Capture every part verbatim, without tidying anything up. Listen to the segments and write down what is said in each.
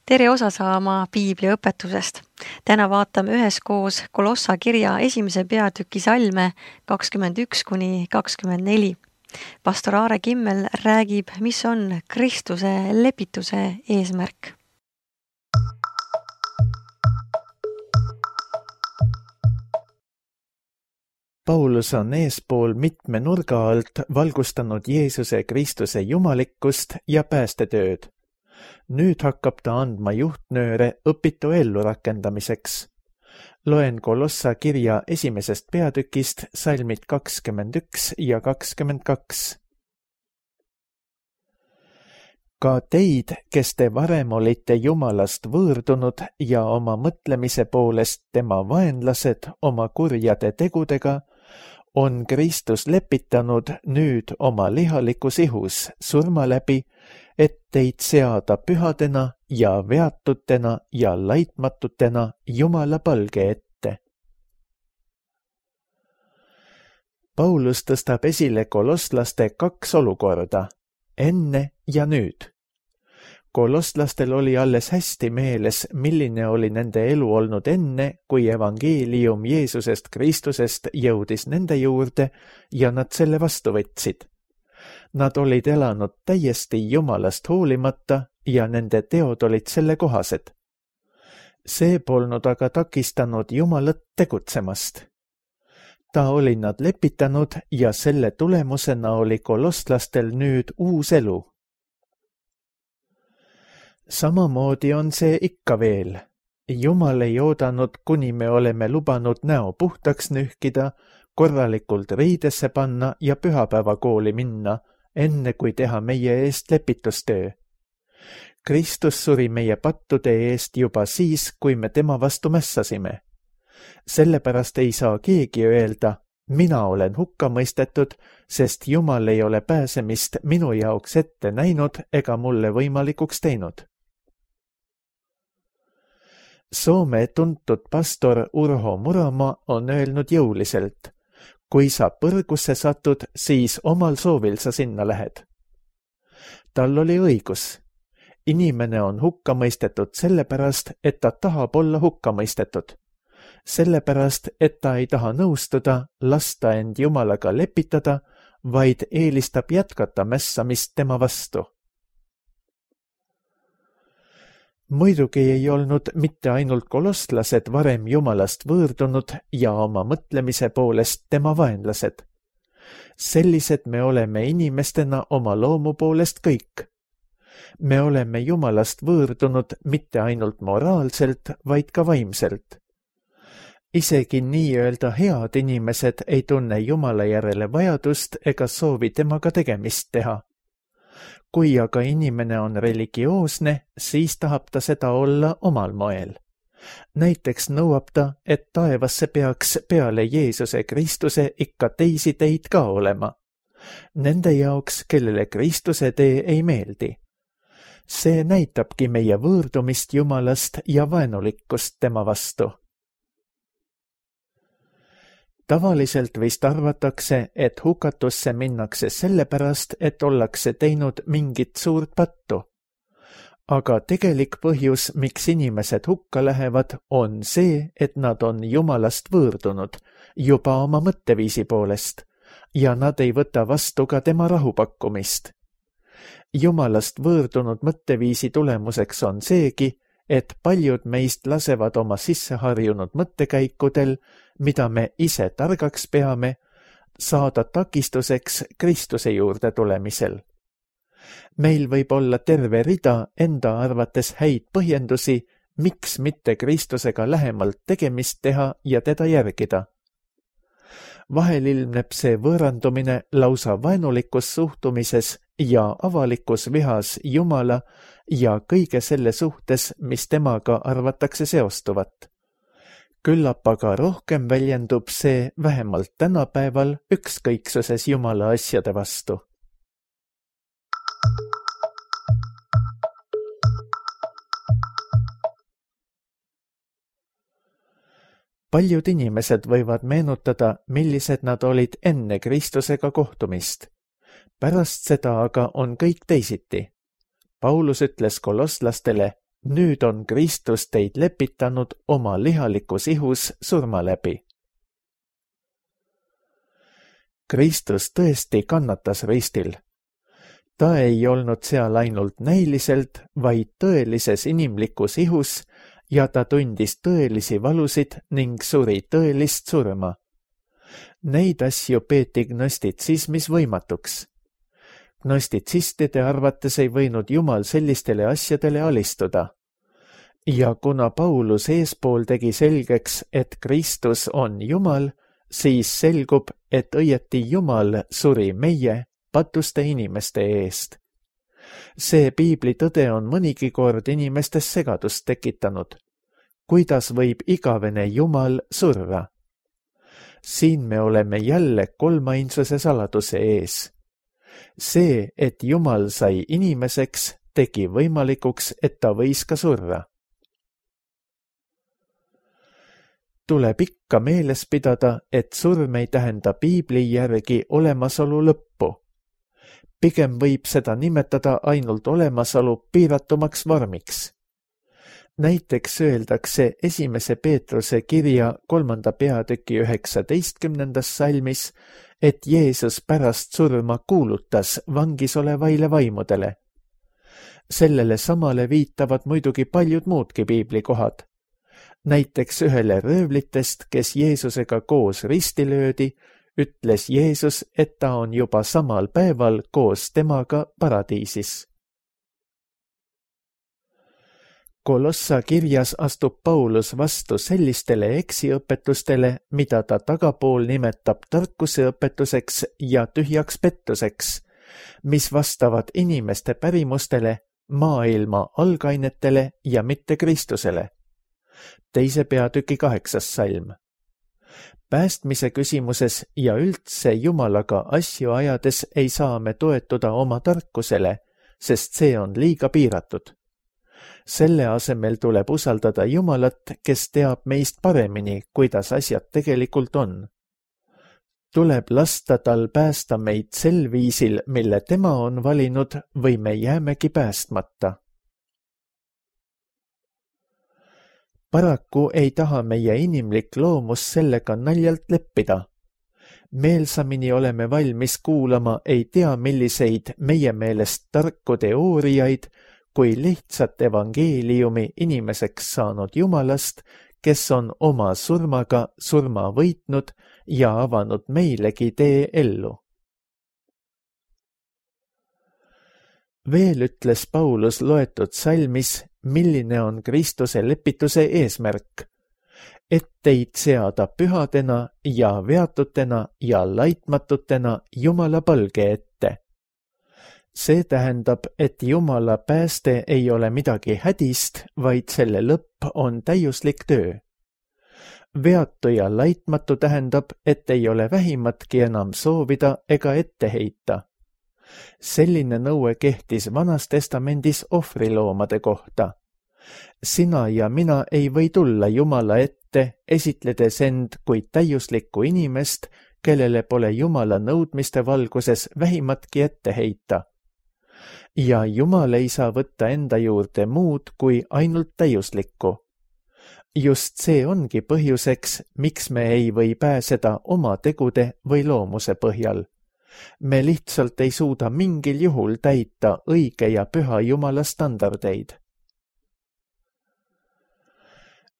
tere osa saama Piibli õpetusest. Täna vaatame üheskoos Kolossa kirja esimese peatüki salme kakskümmend üks kuni kakskümmend neli. Pastor Aare Kimmel räägib, mis on Kristuse lepituse eesmärk. Paulus on eespool mitme nurga alt valgustanud Jeesuse Kristuse jumalikkust ja päästetööd. Nüüd hakkab ta andma juhtnööre õpitu ellu rakendamiseks. Loen Kolossa kirja esimesest peatükist salmid kakskümmend üks ja kakskümmend kaks. Ka teid, kes te varem olite Jumalast võõrdunud ja oma mõtlemise poolest tema vaenlased oma kurjade tegudega, on Kristus lepitanud nüüd oma lihalikus ihus surma läbi, et teid seada pühadena ja veatutena ja laitmatutena Jumala palge ette. Paulus tõstab esile kolosslaste kaks olukorda, enne ja nüüd. Koloslastel oli alles hästi meeles, milline oli nende elu olnud enne, kui evangeelium Jeesusest Kristusest jõudis nende juurde ja nad selle vastu võtsid. Nad olid elanud täiesti Jumalast hoolimata ja nende teod olid selle kohased. See polnud aga takistanud Jumalat tegutsemast. Ta oli nad lepitanud ja selle tulemusena oli koloslastel nüüd uus elu. Samamoodi on see ikka veel. Jumal ei oodanud, kuni me oleme lubanud näo puhtaks nühkida, korralikult riidesse panna ja pühapäevakooli minna, enne kui teha meie eest lepitustöö. Kristus suri meie pattude eest juba siis, kui me tema vastu mässasime. Sellepärast ei saa keegi öelda, mina olen hukka mõistetud, sest Jumal ei ole pääsemist minu jaoks ette näinud ega mulle võimalikuks teinud. Soome tuntud pastor Urho Murama on öelnud jõuliselt, kui sa põrgusse satud, siis omal soovil sa sinna lähed. Tal oli õigus. Inimene on hukka mõistetud sellepärast, et ta tahab olla hukka mõistetud. Sellepärast, et ta ei taha nõustuda, lasta end Jumalaga lepitada, vaid eelistab jätkata mässamist tema vastu. Muidugi ei olnud mitte ainult koloslased varem Jumalast võõrdunud ja oma mõtlemise poolest tema vaenlased. Sellised me oleme inimestena oma loomu poolest kõik. Me oleme Jumalast võõrdunud mitte ainult moraalselt, vaid ka vaimselt. Isegi nii-öelda head inimesed ei tunne Jumala järele vajadust ega soovi temaga tegemist teha. Kui aga inimene on religioosne, siis tahab ta seda olla omal moel. Näiteks nõuab ta, et taevasse peaks peale Jeesuse Kristuse ikka teisi teid ka olema. Nende jaoks, kellele Kristuse tee ei meeldi. See näitabki meie võõrdumist Jumalast ja vaenulikkust tema vastu. Tavaliselt vist arvatakse, et hukatusse minnakse sellepärast, et ollakse teinud mingit suurt pattu. Aga tegelik põhjus, miks inimesed hukka lähevad, on see, et nad on Jumalast võõrdunud, juba oma mõtteviisi poolest, ja nad ei võta vastu ka tema rahupakkumist. Jumalast võõrdunud mõtteviisi tulemuseks on seegi, et paljud meist lasevad oma sisseharjunud mõttekäikudel, mida me ise targaks peame, saada takistuseks Kristuse juurde tulemisel. Meil võib olla terve rida enda arvates häid põhjendusi, miks mitte Kristusega lähemalt tegemist teha ja teda järgida. Vahel ilmneb see võõrandumine lausa vaenulikus suhtumises ja avalikus vihas Jumala ja kõige selle suhtes, mis temaga arvatakse seostuvat. Küllap aga rohkem väljendub see vähemalt tänapäeval ükskõiksuses Jumala asjade vastu. Paljud inimesed võivad meenutada, millised nad olid enne Kristusega kohtumist. Pärast seda aga on kõik teisiti. Paulus ütles kolosslastele, nüüd on Kristus teid lepitanud oma lihalikus ihus surma läbi. Kristus tõesti kannatas ristil. Ta ei olnud seal ainult näiliselt, vaid tõelises inimlikus ihus ja ta tundis tõelisi valusid ning suri tõelist surma. Neid asju peeti gnostitsismis võimatuks. Gnostitsistide arvates ei võinud Jumal sellistele asjadele alistuda. Ja kuna Paulus eespool tegi selgeks, et Kristus on Jumal, siis selgub, et õieti Jumal suri meie, patuste inimeste eest. See piibli tõde on mõnigi kord inimestes segadust tekitanud. Kuidas võib igavene Jumal surra? Siin me oleme jälle kolmainsuse saladuse ees. See, et Jumal sai inimeseks, tegi võimalikuks, et ta võis ka surra. Tuleb ikka meeles pidada, et surm ei tähenda piibli järgi olemasolu lõppu. Pigem võib seda nimetada ainult olemasolu piiratumaks vormiks. Näiteks öeldakse esimese Peetruse kirja kolmanda peatüki üheksateistkümnendas salmis, et Jeesus pärast surma kuulutas vangis olevaile vaimudele. Sellele samale viitavad muidugi paljud muudki piiblikohad. Näiteks ühele röövlitest, kes Jeesusega koos risti löödi, ütles Jeesus, et ta on juba samal päeval koos temaga paradiisis. Kolossa kirjas astub Paulus vastu sellistele eksiõpetustele, mida ta tagapool nimetab tarkuseõpetuseks ja tühjaks pettuseks, mis vastavad inimeste pärimustele, maailma algainetele ja mitte Kristusele. Teise peatüki kaheksas salm. Päästmise küsimuses ja üldse Jumalaga asju ajades ei saa me toetuda oma tarkusele, sest see on liiga piiratud. Selle asemel tuleb usaldada Jumalat, kes teab meist paremini, kuidas asjad tegelikult on. Tuleb lasta tal päästa meid sel viisil, mille tema on valinud, või me jäämegi päästmata. Paraku ei taha meie inimlik loomus sellega naljalt leppida. Meelsamini oleme valmis kuulama ei tea milliseid meie meelest tarku teooriaid, kui lihtsat evangeeliumi inimeseks saanud Jumalast, kes on oma surmaga surma võitnud ja avanud meilegi tee ellu. Veel ütles Paulus loetud salmis, milline on Kristuse lepituse eesmärk, et teid seada pühadena ja veatutena ja laitmatutena Jumala palge ette. See tähendab, et Jumala pääste ei ole midagi hädist, vaid selle lõpp on täiuslik töö. Veatu ja laitmatu tähendab, et ei ole vähimatki enam soovida ega ette heita. Selline nõue kehtis Vanas Testamendis ohvriloomade kohta. Sina ja mina ei või tulla Jumala ette, esitledes end kui täiuslikku inimest, kellele pole Jumala nõudmiste valguses vähimatki ette heita. Ja Jumal ei saa võtta enda juurde muud kui ainult täiuslikku. Just see ongi põhjuseks, miks me ei või pääseda oma tegude või loomuse põhjal. Me lihtsalt ei suuda mingil juhul täita õige ja püha Jumala standardeid.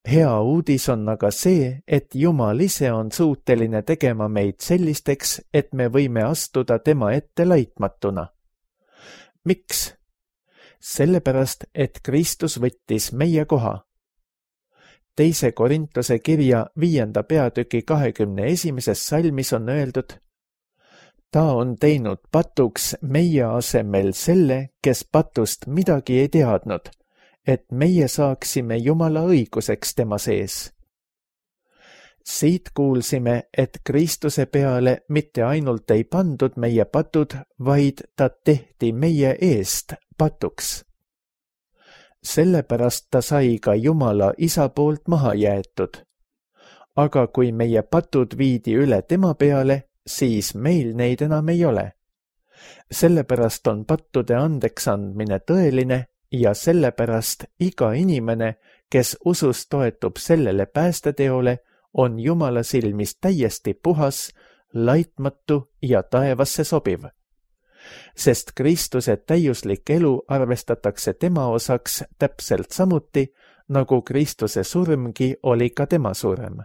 Hea uudis on aga see, et Jumal ise on suuteline tegema meid sellisteks, et me võime astuda tema ette laitmatuna. Miks? Sellepärast, et Kristus võttis meie koha. Teise Korintuse kirja viienda peatüki kahekümne esimeses salmis on öeldud: ta on teinud patuks meie asemel selle, kes patust midagi ei teadnud, et meie saaksime Jumala õiguseks tema sees. Siit kuulsime, et Kristuse peale mitte ainult ei pandud meie patud, vaid ta tehti meie eest patuks. Sellepärast ta sai ka Jumala isa poolt maha jäetud. Aga kui meie patud viidi üle tema peale, siis meil neid enam ei ole. Sellepärast on pattude andeks andmine tõeline ja sellepärast iga inimene, kes usus toetub sellele päästeteole, on Jumala silmis täiesti puhas, laitmatu ja taevasse sobiv. Sest Kristuse täiuslik elu arvestatakse tema osaks täpselt samuti, nagu Kristuse surmgi oli ka tema surm.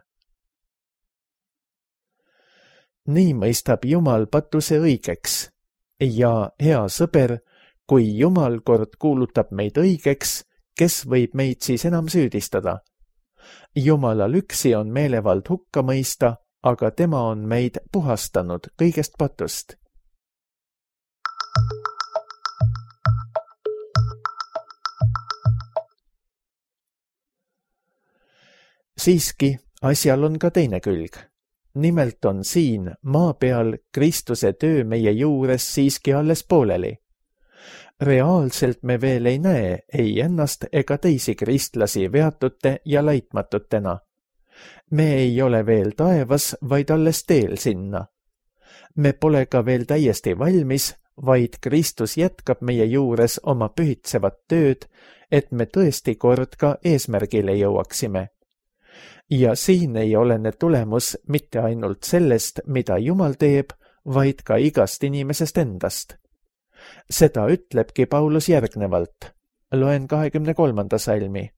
Nii mõistab Jumal patuse õigeks ja, hea sõber, kui Jumal kord kuulutab meid õigeks, kes võib meid siis enam süüdistada? Jumalal üksi on meelevald hukka mõista, aga tema on meid puhastanud kõigest patust. Siiski, asjal on ka teine külg. Nimelt on siin, maa peal, Kristuse töö meie juures siiski alles pooleli. Reaalselt me veel ei näe ei ennast ega teisi kristlasi veatute ja laitmatutena. Me ei ole veel taevas, vaid alles teel sinna. Me pole ka veel täiesti valmis, vaid Kristus jätkab meie juures oma pühitsevat tööd, et me tõesti kord ka eesmärgile jõuaksime. Ja siin ei olene tulemus mitte ainult sellest, mida Jumal teeb, vaid ka igast inimesest endast. Seda ütlebki Paulus järgnevalt. Loen kahekümne kolmanda salmi.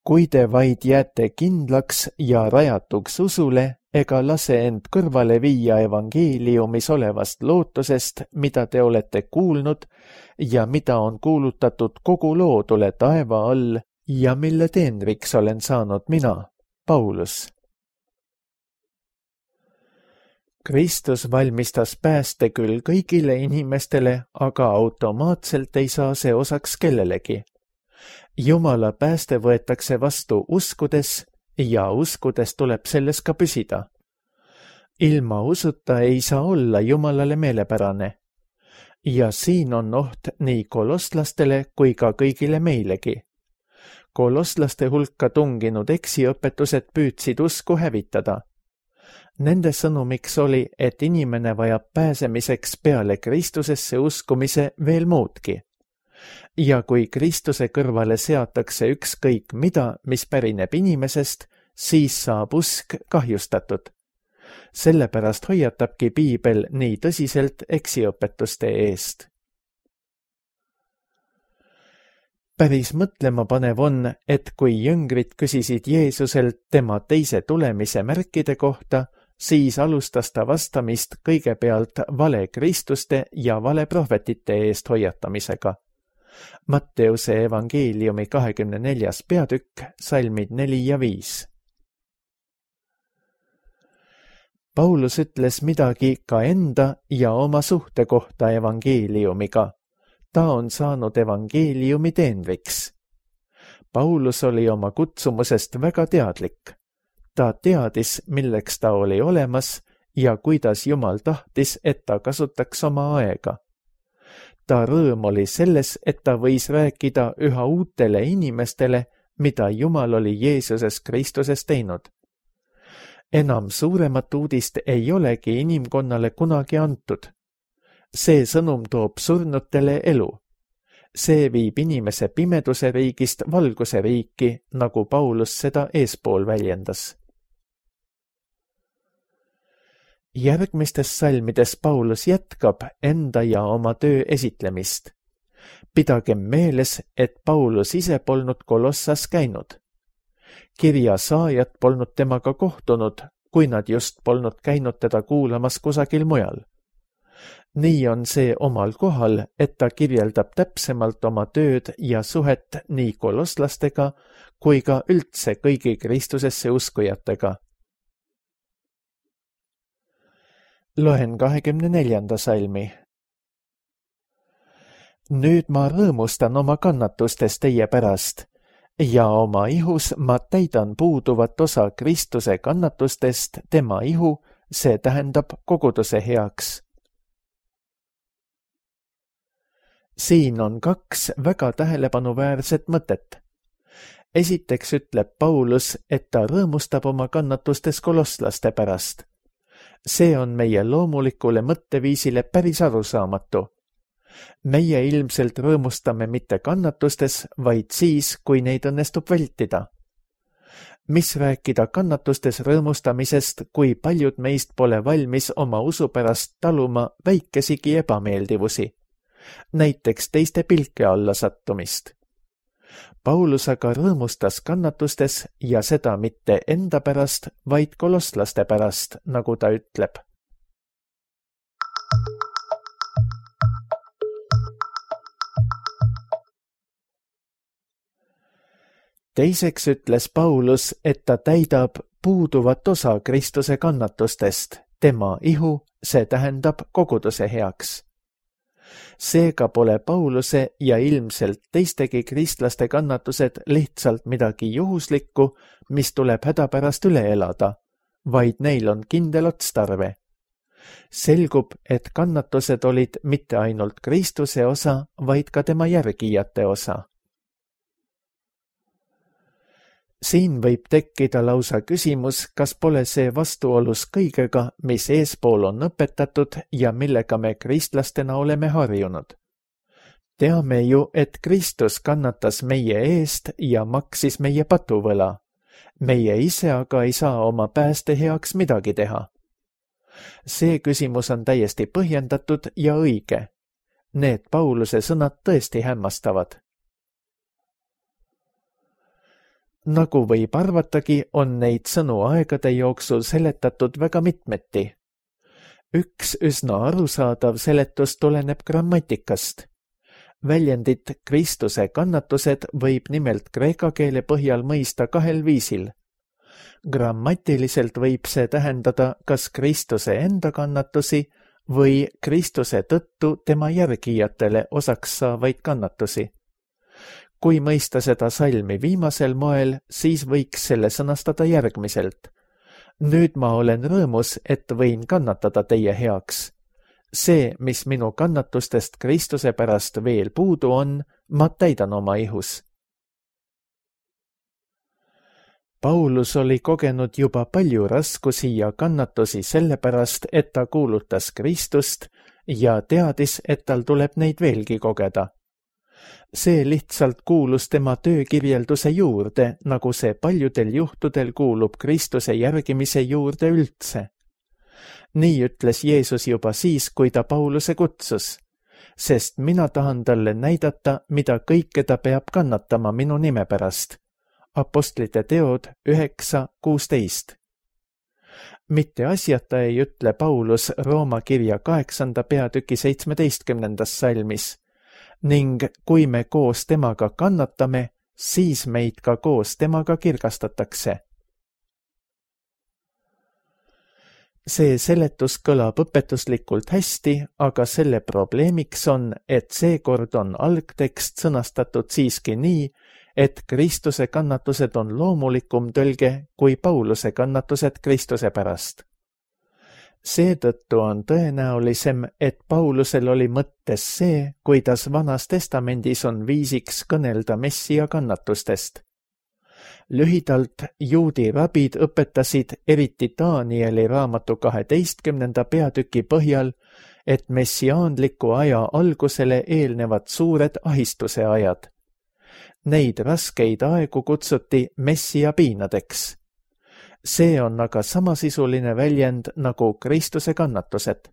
Kui te vaid jääte kindlaks ja rajatuks usule, ega lase end kõrvale viia evangeeliumis olevast lootusest, mida te olete kuulnud ja mida on kuulutatud kogu loodule taeva all ja mille teenriks olen saanud mina, Paulus. Kristus valmistas pääste küll kõigile inimestele, aga automaatselt ei saa see osaks kellelegi. Jumala pääste võetakse vastu uskudes ja uskudes tuleb selles ka püsida. Ilma usuta ei saa olla Jumalale meelepärane. Ja siin on oht nii kolosslastele kui ka kõigile meilegi. Kolosslaste hulka tunginud eksiõpetused püüdsid usku hävitada. Nende sõnumiks oli, et inimene vajab pääsemiseks peale Kristusesse uskumise veel muudki. Ja kui Kristuse kõrvale seatakse ükskõik mida, mis pärineb inimesest, siis saab usk kahjustatud. Sellepärast hoiatabki Piibel nii tõsiselt eksiõpetuste eest. Päris mõtlema panev on, et kui jüngrid küsisid Jeesuselt tema teise tulemise märkide kohta, siis alustas ta vastamist kõigepealt vale Kristuste ja vale prohvetite eest hoiatamisega. Matteuse evangeeliumi kahekümne neljas peatükk, salmid neli ja viis. Paulus ütles midagi ka enda ja oma suhte kohta evangeeliumiga. Ta on saanud evangeeliumi teenriks. Paulus oli oma kutsumusest väga teadlik. Ta teadis, milleks ta oli olemas ja kuidas Jumal tahtis, et ta kasutaks oma aega. Ta rõõm oli selles, et ta võis rääkida üha uutele inimestele, mida Jumal oli Jeesuses Kristuses teinud. Enam suuremat uudist ei olegi inimkonnale kunagi antud. See sõnum toob surnutele elu. See viib inimese pimeduse riigist valguse riiki, nagu Paulus seda eespool väljendas. Järgmistes salmides Paulus jätkab enda ja oma töö esitlemist. Pidagem meeles, et Paulus ise polnud Kolossas käinud. Kirja saajad polnud temaga kohtunud, kui nad just polnud käinud teda kuulamas kusagil mujal. Nii on see omal kohal, et ta kirjeldab täpsemalt oma tööd ja suhet nii kolosslastega kui ka üldse kõigi Kristusesse uskujatega. Loen kahekümne neljanda salmi. Nüüd ma rõõmustan oma kannatustes teie pärast ja oma ihus ma täidan puuduvat osa Kristuse kannatustest tema ihu, see tähendab koguduse heaks. Siin on kaks väga tähelepanuväärset mõtet. Esiteks ütleb Paulus, et ta rõõmustab oma kannatustes kolosslaste pärast. See on meie loomulikule mõtteviisile päris arusaamatu. meie ilmselt rõõmustame mitte kannatustes, vaid siis, kui neid õnnestub vältida. Mis rääkida kannatustes rõõmustamisest, kui paljud meist pole valmis oma usu pärast taluma väikesigi ebameeldivusi, näiteks teiste pilke alla sattumist. Paulus aga rõõmustas kannatustes ja seda mitte enda pärast, vaid kolosslaste pärast, nagu ta ütleb. Teiseks ütles Paulus, et ta täidab puuduvat osa Kristuse kannatustest, tema ihu, see tähendab koguduse heaks. Seega pole Pauluse ja ilmselt teistegi kristlaste kannatused lihtsalt midagi juhuslikku, mis tuleb hädapärast üle elada, vaid neil on kindel otstarve. Selgub, et kannatused olid mitte ainult Kristuse osa, vaid ka tema järgijate osa. Siin võib tekkida lausa küsimus, kas pole see vastuolus kõigega, mis eespool on õpetatud ja millega me kristlastena oleme harjunud. Teame ju, et Kristus kannatas meie eest ja maksis meie patuvõla. Meie ise aga ei saa oma pääste heaks midagi teha. See küsimus on täiesti põhjendatud ja õige. Need Pauluse sõnad tõesti hämmastavad. Nagu võib arvatagi, on neid sõnu aegade jooksul seletatud väga mitmeti. Üks üsna arusaadav seletus tuleneb grammatikast. Väljendit Kristuse kannatused võib nimelt kreeka keele põhjal mõista kahel viisil. Grammatiliselt võib see tähendada kas Kristuse enda kannatusi või Kristuse tõttu tema järgijatele osaks saavaid kannatusi. Kui mõista seda salmi viimasel moel, siis võiks selle sõnastada järgmiselt. Nüüd ma olen rõõmus, et võin kannatada teie heaks. See, mis minu kannatustest Kristuse pärast veel puudu on, ma täidan oma ihus. Paulus oli kogenud juba palju raskusi ja kannatusi sellepärast, et ta kuulutas Kristust ja teadis, et tal tuleb neid veelgi kogeda. See lihtsalt kuulus tema töökirjelduse juurde, nagu see paljudel juhtudel kuulub Kristuse järgimise juurde üldse. Nii ütles Jeesus juba siis, kui ta Pauluse kutsus, sest mina tahan talle näidata, mida kõike ta peab kannatama minu nime pärast. Apostlite teod üheksa kuusteist. Mitte asjata ei ütle Paulus Rooma kirja kaheksanda peatüki seitsmeteistkümnendas salmis, ning kui me koos temaga kannatame, siis meid ka koos temaga kirgastatakse. See seletus kõlab õpetuslikult hästi, aga selle probleemiks on, et seekord on algtekst sõnastatud siiski nii, et Kristuse kannatused on loomulikum tõlge kui Pauluse kannatused Kristuse pärast. Seetõttu on tõenäolisem, et Paulusel oli mõttes see, kuidas Vanas Testamendis on viisiks kõnelda Messia kannatustest. Lühidalt juudi rabid õpetasid eriti Danieli raamatu kaheteistkümnenda peatüki põhjal, et messiaanliku aja algusele eelnevad suured ahistuse ajad. Neid raskeid aegu kutsuti Messia piinadeks. See on aga samasisuline väljend nagu Kristuse kannatused.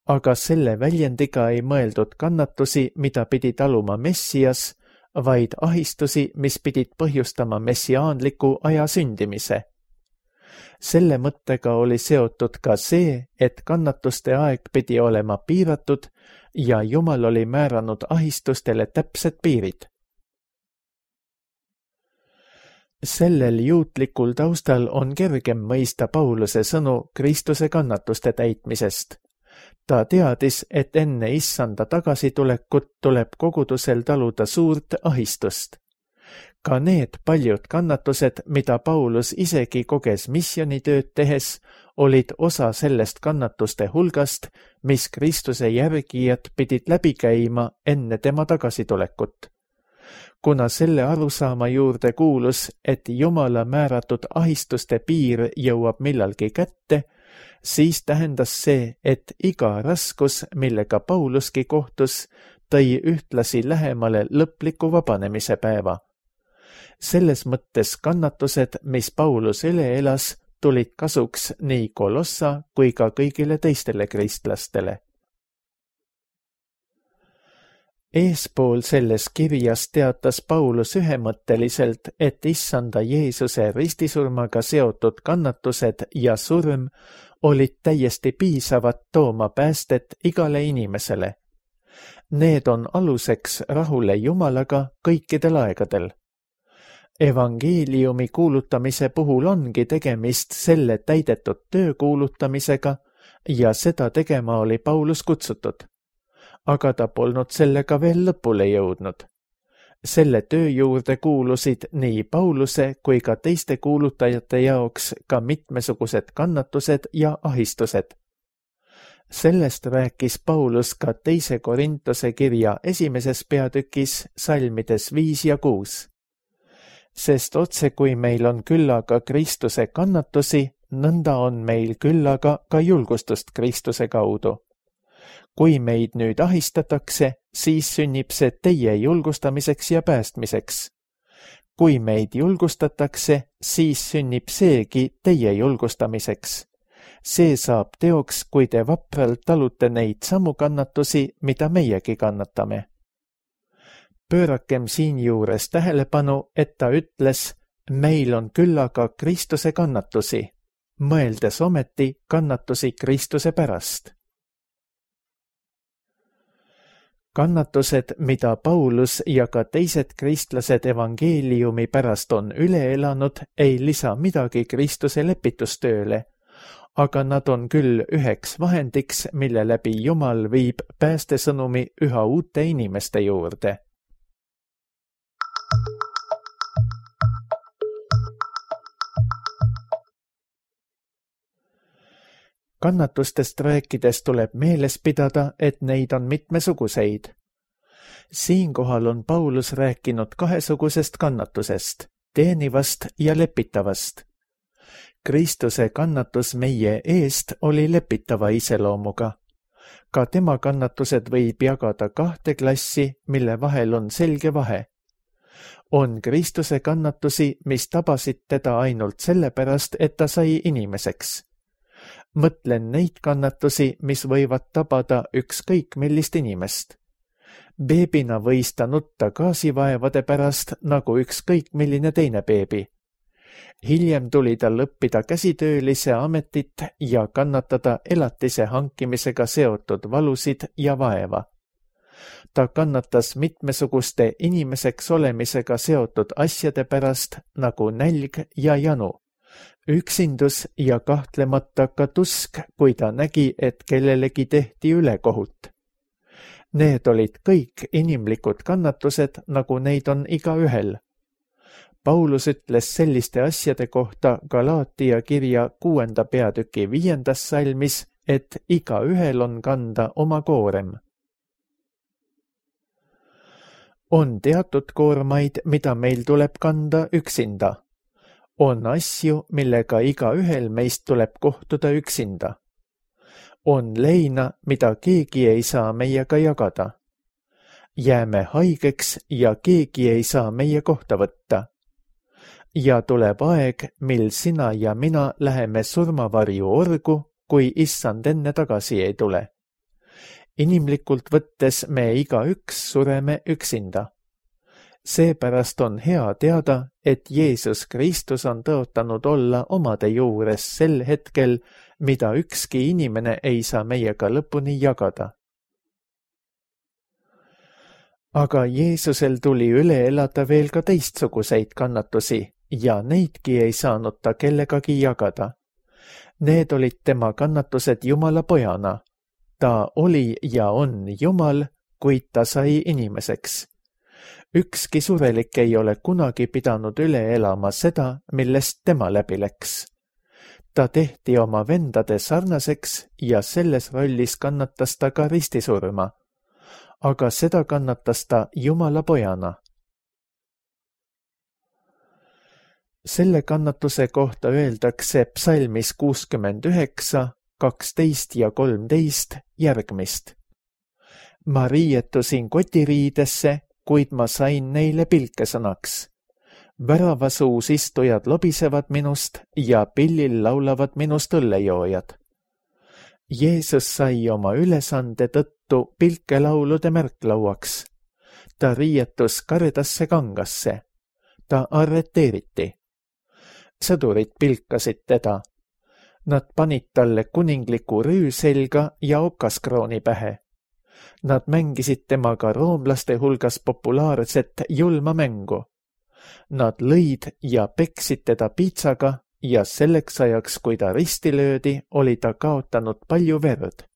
Aga selle väljendiga ei mõeldud kannatusi, mida pidi taluma Messias, vaid ahistusi, mis pidid põhjustama messiaanliku aja sündimise. Selle mõttega oli seotud ka see, et kannatuste aeg pidi olema piiratud ja Jumal oli määranud ahistustele täpsed piirid. Sellel juutlikul taustal on kergem mõista Pauluse sõnu Kristuse kannatuste täitmisest. Ta teadis, et enne issanda tagasitulekut tuleb kogudusel taluda suurt ahistust. Ka need paljud kannatused, mida Paulus isegi koges missionitööd tehes, olid osa sellest kannatuste hulgast, mis Kristuse järgijad pidid läbi käima enne tema tagasitulekut. Kuna selle arusaama juurde kuulus, et Jumala määratud ahistuste piir jõuab millalgi kätte, siis tähendas see, et iga raskus, millega Pauluski kohtus, tõi ühtlasi lähemale lõpliku vabanemise päeva. Selles mõttes kannatused, mis Paulus üle elas, tulid kasuks nii Kolossa kui ka kõigile teistele kristlastele. Eespool selles kirjas teatas Paulus ühemõtteliselt, et issanda Jeesuse ristisurmaga seotud kannatused ja surm olid täiesti piisavad tooma päästet igale inimesele. Need on aluseks rahule Jumalaga kõikidel aegadel. Evangeeliumi kuulutamise puhul ongi tegemist selle täidetud töö kuulutamisega ja seda tegema oli Paulus kutsutud. Aga ta polnud sellega veel lõpule jõudnud. Selle töö juurde kuulusid nii Pauluse kui ka teiste kuulutajate jaoks ka mitmesugused kannatused ja ahistused. Sellest rääkis Paulus ka teise Korintuse kirja esimeses peatükis salmides viis ja kuus. Sest otse kui meil on küllaga Kristuse kannatusi, nõnda on meil küllaga ka julgustust Kristuse kaudu. Kui meid nüüd ahistatakse, siis sünnib see teie julgustamiseks ja päästmiseks. Kui meid julgustatakse, siis sünnib seegi teie julgustamiseks. See saab teoks, kui te vapralt talute neid samu kannatusi, mida meiegi kannatame. Pöörakem siinjuures tähelepanu, et ta ütles, meil on küllaga Kristuse kannatusi, mõeldes ometi kannatusi Kristuse pärast. Kannatused, mida Paulus ja ka teised kristlased evangeeliumi pärast on üle elanud, ei lisa midagi Kristuse lepitustööle, aga nad on küll üheks vahendiks, mille läbi Jumal viib päästesõnumi üha uute inimeste juurde. Kannatustest rääkides tuleb meeles pidada, et neid on mitmesuguseid. Siinkohal on Paulus rääkinud kahesugusest kannatusest, teenivast ja lepitavast. Kristuse kannatus meie eest oli lepitava iseloomuga. Ka tema kannatused võib jagada kahte klassi, mille vahel on selge vahe. On Kristuse kannatusi, mis tabasid teda ainult sellepärast, et ta sai inimeseks. Mõtlen neid kannatusi, mis võivad tabada ükskõik millist inimest. Beebina võis ta nutta gaasivaevade pärast nagu ükskõik milline teine beebi. Hiljem tuli tal õppida käsitöölise ametit ja kannatada elatise hankimisega seotud valusid ja vaeva. Ta kannatas mitmesuguste inimeseks olemisega seotud asjade pärast nagu nälg ja janu. Üksindus ja kahtlemata ka tusk, kui ta nägi, et kellelegi tehti ülekohut. Need olid kõik inimlikud kannatused, nagu neid on igaühel. Paulus ütles selliste asjade kohta Galaatia kirja kuuenda peatüki viiendas salmis, et igaühel on kanda oma koorem. On teatud koormaid, mida meil tuleb kanda üksinda. On asju, millega igaühel meist tuleb kohtuda üksinda. On leina, mida keegi ei saa meiega jagada. Jääme haigeks ja keegi ei saa meie kohta võtta. Ja tuleb aeg, mil sina ja mina läheme surmavarju orgu, kui issand enne tagasi ei tule. Inimlikult võttes me igaüks sureme üksinda. Seepärast on hea teada, et Jeesus Kristus on tõotanud olla omade juures sel hetkel, mida ükski inimene ei saa meiega lõpuni jagada. Aga Jeesusel tuli üle elada veel ka teistsuguseid kannatusi ja neidki ei saanud ta kellegagi jagada. Need olid tema kannatused Jumala pojana. Ta oli ja on Jumal, kuid ta sai inimeseks. Ükski surelik ei ole kunagi pidanud üle elama seda, millest tema läbi läks. Ta tehti oma vendade sarnaseks ja selles rollis kannatas ta ka ristisurma, aga seda kannatas ta Jumala pojana. Selle kannatuse kohta öeldakse psalmis kuuskümmend üheksa, kaksteist ja kolmteist järgmist. Ma riietusin kotiriidesse, kuid ma sain neile pilkesõnaks. Väravasuus istujad lobisevad minust ja pillil laulavad minust õllejoojad. Jeesus sai oma ülesande tõttu pilkelaulude märklauaks. Ta riietus kardasse kangasse. Ta arreteeriti. Sõdurid pilkasid teda. Nad panid talle kuningliku rüü selga ja okaskrooni pähe. Nad mängisid temaga roomlaste hulgas populaarset julma mängu. Nad lõid ja peksid teda piitsaga ja selleks ajaks, kui ta risti löödi, oli ta kaotanud palju verd.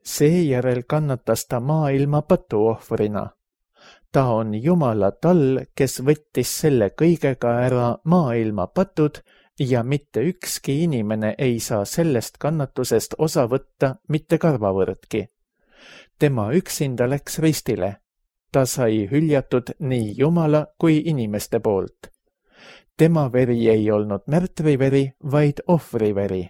Seejärel kannatas ta maailma patuohvrina. Ta on Jumala tall, kes võttis selle kõigega ära maailma patud ja mitte ükski inimene ei saa sellest kannatusest osa võtta mitte karvavõrdki. Tema üksinda läks ristile. Ta sai hüljatud nii Jumala kui inimeste poolt. Tema veri ei olnud märtriveri, vaid ohvriveri.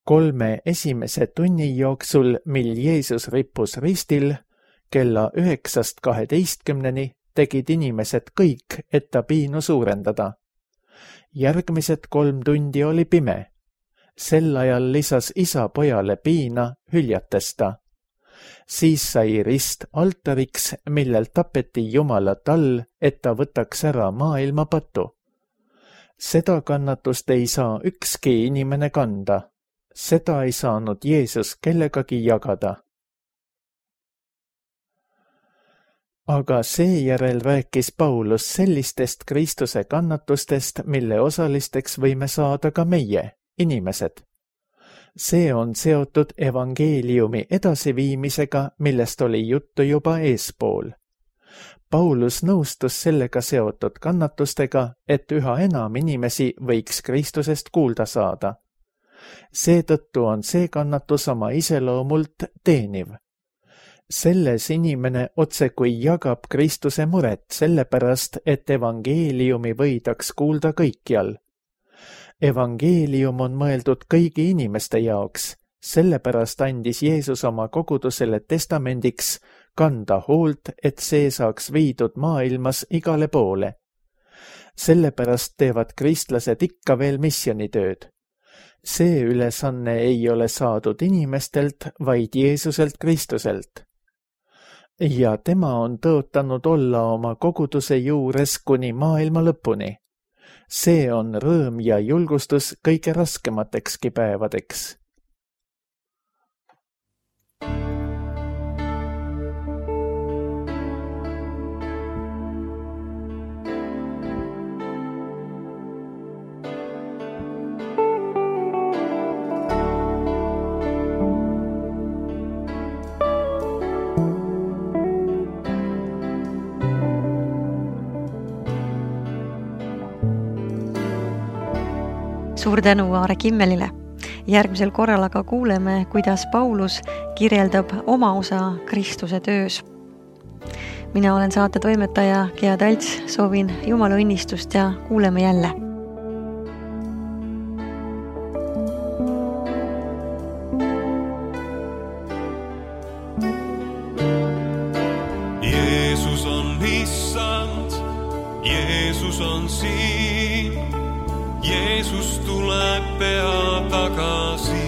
Kolme esimese tunni jooksul, mil Jeesus rippus ristil, kella üheksast kaheteistkümneni tegid inimesed kõik, et ta piinu suurendada. Järgmised kolm tundi oli pime. Sel ajal lisas isa pojale piina hüljates ta. Siis sai rist altariks, millel tapeti Jumala tall, et ta võtaks ära maailma patu. Seda kannatust ei saa ükski inimene kanda. Seda ei saanud Jeesus kellegagi jagada. Aga seejärel rääkis Paulus sellistest Kristuse kannatustest, mille osalisteks võime saada ka meie, inimesed. See on seotud evangeeliumi edasiviimisega, millest oli juttu juba eespool. Paulus nõustus sellega seotud kannatustega, et üha enam inimesi võiks Kristusest kuulda saada. Seetõttu on see kannatus oma iseloomult teeniv. Selles inimene otsekui jagab Kristuse muret sellepärast, et evangeeliumi võidaks kuulda kõikjal. Evangeelium on mõeldud kõigi inimeste jaoks, sellepärast andis Jeesus oma kogudusele testamendiks kanda hoolt, et see saaks viidud maailmas igale poole. Sellepärast teevad kristlased ikka veel missionitööd. See ülesanne ei ole saadud inimestelt, vaid Jeesuselt Kristuselt. Ja tema on tõotanud olla oma koguduse juures kuni maailma lõpuni. See on rõõm ja julgustus kõige raskematekski päevadeks. Suur tänu Aare Kimmelile. Järgmisel korral aga kuuleme, kuidas Paulus kirjeldab oma osa Kristuse töös. Mina olen saate toimetaja Gea Talts, soovin Jumala õnnistust ja kuuleme jälle. Jeesus on issand, Jeesus on siin. Jeesus tuleb pea tagasi.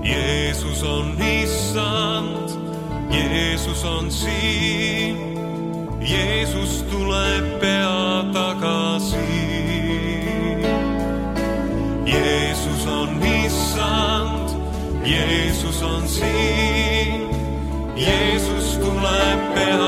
Jeesus on issand, Jeesus on siin. Jeesus tuleb pea tagasi. Jeesus on issand, Jeesus on siin. Jeesus tuleb pea